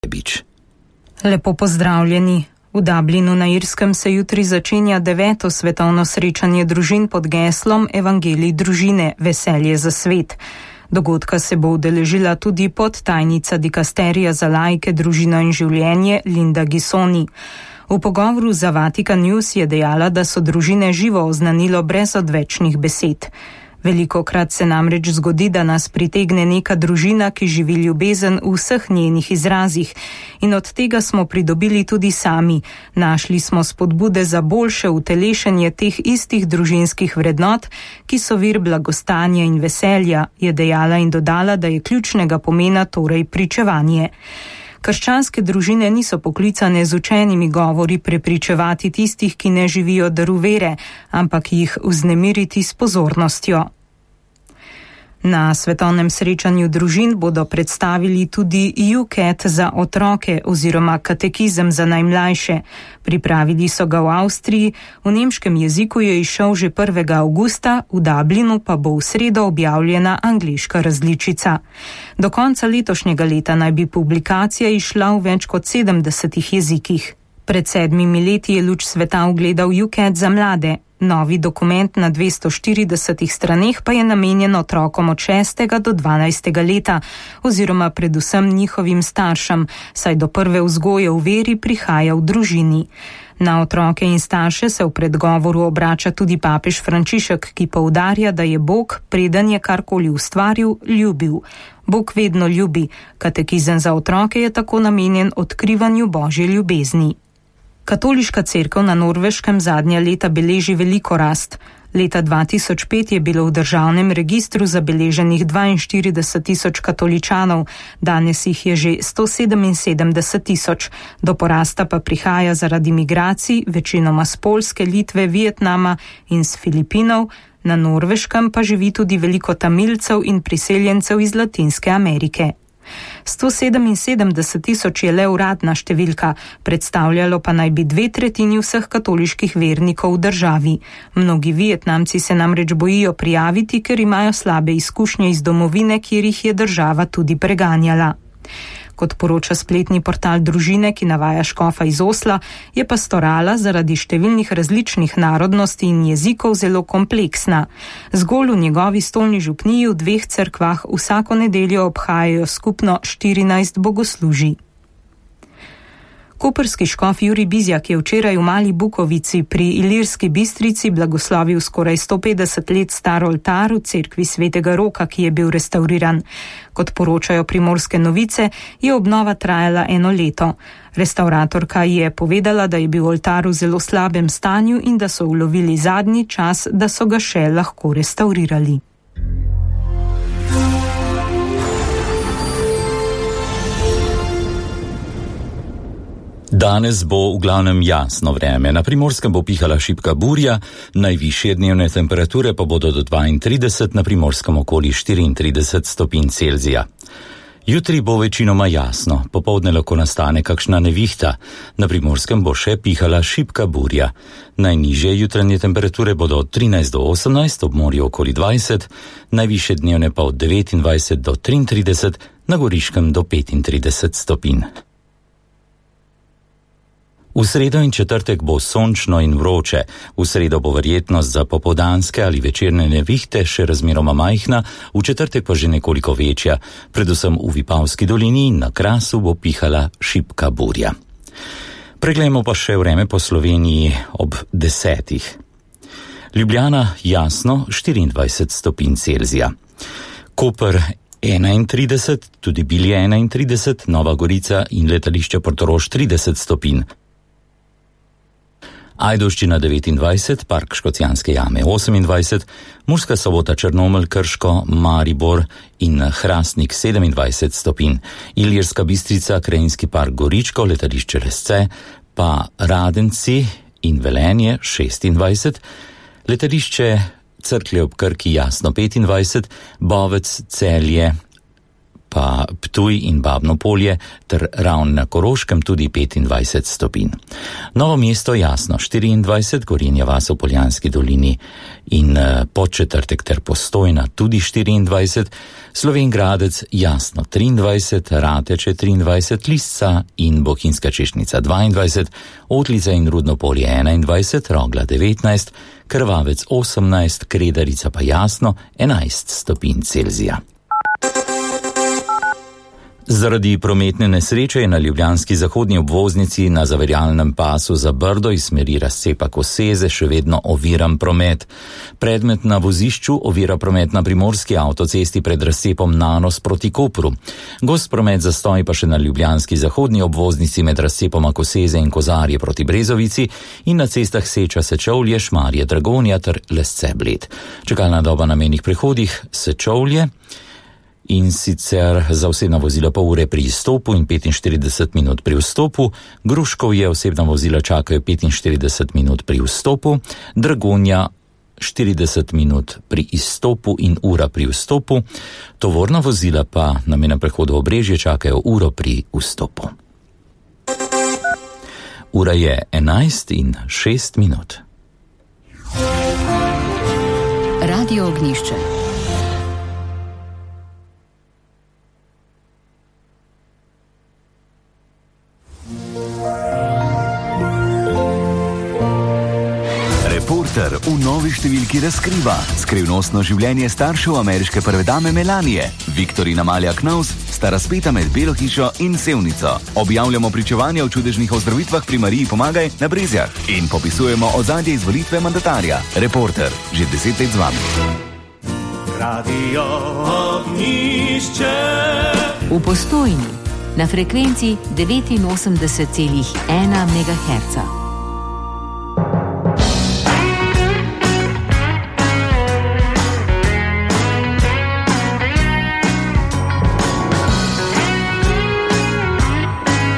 Bič. Lepo pozdravljeni. V Dublinu na Irskem se jutri začenja 9. svetovno srečanje družin pod geslom Evangelij družine, veselje za svet. Dogodka se bo udeležila tudi podtajnica dikasterija za laike, družino in življenje Linda Gisoni. V pogovoru za Vatikan News je dejala, da so družine živo oznanilo brez odvečnih besed. Velikokrat se namreč zgodi, da nas pritegne neka družina, ki živi ljubezen v vseh njenih izrazih, in od tega smo pridobili tudi sami. Našli smo spodbude za boljše utelešenje teh istih družinskih vrednot, ki so vir blagostanja in veselja, je dejala in dodala, da je ključnega pomena torej pričevanje. Krščanske družine niso poklicane z učenimi govori prepričevati tistih, ki ne živijo daru vere, ampak jih vznemiriti s pozornostjo. Na svetovnem srečanju družin bodo predstavili tudi UCAT za otroke oziroma katekizem za najmlajše. Pripravili so ga v Avstriji, v nemškem jeziku je izšel že 1. avgusta, v Dublinu pa bo v sredo objavljena angleška različica. Do konca letošnjega leta naj bi publikacija izšla v več kot 70 jezikih. Pred 7 leti je luč sveta ugledal UCAT za mlade. Novi dokument na 240 straneh pa je namenjen otrokom od 6. do 12. leta oziroma predvsem njihovim staršem, saj do prve vzgoje v veri prihaja v družini. Na otroke in starše se v predgovoru obrača tudi papež Frančišek, ki poudarja, da je Bog, preden je karkoli ustvaril, ljubil. Bog vedno ljubi. Katekizem za otroke je tako namenjen odkrivanju Božje ljubezni. Katoliška cerkev na Norveškem zadnja leta beleži veliko rast. Leta 2005 je bilo v državnem registru zabeleženih 42 tisoč katoličanov, danes jih je že 177 tisoč. Do porasta pa prihaja zaradi migracij, večinoma z Poljske, Litve, Vietnama in z Filipinov. Na Norveškem pa živi tudi veliko Tamilcev in priseljencev iz Latinske Amerike. 177 tisoč je le uradna številka, predstavljalo pa naj bi 2/3 vseh katoliških vernikov v državi. Mnogi Vietnamci se namreč bojijo prijaviti, ker imajo slabe izkušnje iz domovine, kjer jih je država tudi preganjala. Kot poroča spletni portal družine, ki navaja škofa iz Osla, je pastorala zaradi številnih različnih narodnosti in jezikov zelo kompleksna. Zgolj v njegovi stolni župniji v 2 cerkvah vsako nedeljo obhajajo skupno 14 bogoslužij. Koprski škof Jurij Bizjak je včeraj v Mali Bukovici pri Ilirski Bistrici blagoslovil skoraj 150 let star oltar v cerkvi Svetega Roka, ki je bil restauriran. Kot poročajo Primorske novice, je obnova trajala 1 leto. Restauratorka je povedala, da je bil oltar v zelo slabem stanju in da so ulovili zadnji čas, da so ga še lahko restaurirali. Danes bo v glavnem jasno vreme. Na Primorskem bo pihala šibka burja, najvišje dnevne temperature pa bodo do 32, na Primorskem okoli 34 stopinj Celzija. Jutri bo večinoma jasno, popoldne lahko nastane kakšna nevihta. Na Primorskem bo še pihala šibka burja. Najnižje jutranje temperature bodo od 13 do 18, ob morju okoli 20, najvišje dnevne pa od 29 do 33, na Goriškem do 35 stopinj. V sredo in četrtek bo sončno in vroče. V sredo bo verjetnost za popoldanske ali večerne nevihte še razmeroma majhna, v četrtek pa že nekoliko večja. Predvsem v Vipavski dolini in na Krasu bo pihala šibka burja. Preglejmo pa še vreme po Sloveniji ob 10. Ljubljana jasno 24 stopinj Celzija. Koper 31, tudi Bilje 31, Nova Gorica in letališče Portorož 30 stopinj. Ajdovščina 29, Park Škocjanske jame 28, Murska Sobota, Črnomelj, Krško, Maribor in Hrastnik 27 stopinj, Ilirska Bistrica, Krajinski park Goričko, letališče Lesce, pa Radenci in Velenje 26, letališče Cerklje ob Krki jasno 25, Bovec, Celje pa Ptuj in Babno Polje ter Ravn na Koroškem tudi 25 stopinj. Novo mesto jasno 24, Gorenja vas v Poljanski dolini in Podčetrtek ter Postojna tudi 24, Slovenj Gradec jasno 23, Rateče 23, Lisca in Bohinjska Češnica 22, Otlica in Rudno Polje 21, Rogla 19, Krvavec 18, Kredarica pa jasno 11 stopinj Celzija. Zaradi prometne nesreče je na ljubljanski zahodni obvoznici na zaviralnem pasu za Brdo iz smeri razcepa Koseze še vedno oviran promet. Predmet na vozišču ovira promet na primorski avtocesti pred razcepom Nanos proti Kopru. Gost promet zastoj pa še na ljubljanski zahodni obvoznici med razcepoma Koseze in Kozarje proti Brezovici in na cestah Seča Sečovlje, Šmarje Dragonja ter Lesce Bled. Čakalna doba na mejnih prehodih Sečovlje in sicer za osebna vozila pol ure pri izstopu in 45 minut pri vstopu, Gruškovje osebna vozila čakajo 45 minut pri vstopu, Dragonja 40 minut pri izstopu in ura pri vstopu, tovorna vozila pa na mejnem prehodu Obrežje čakajo uro pri vstopu. Ura je 11:06. Radio Ognjišče. Reporter v novi številki razkriva skrivnostno življenje staršev ameriške prve dame Melanije. Viktor in Amalija Knaus sta razpeta med Belo hišo in Sevnico. Objavljamo pričevanja o čudežnih ozdravitvah pri Mariji Pomagaj na Brezjah in popisujemo ozadje izvolitve mandatarja. Reporter, že 10 let z vami. Radio Ognjišče. V Postojni na frekvenci 89,1 MHz.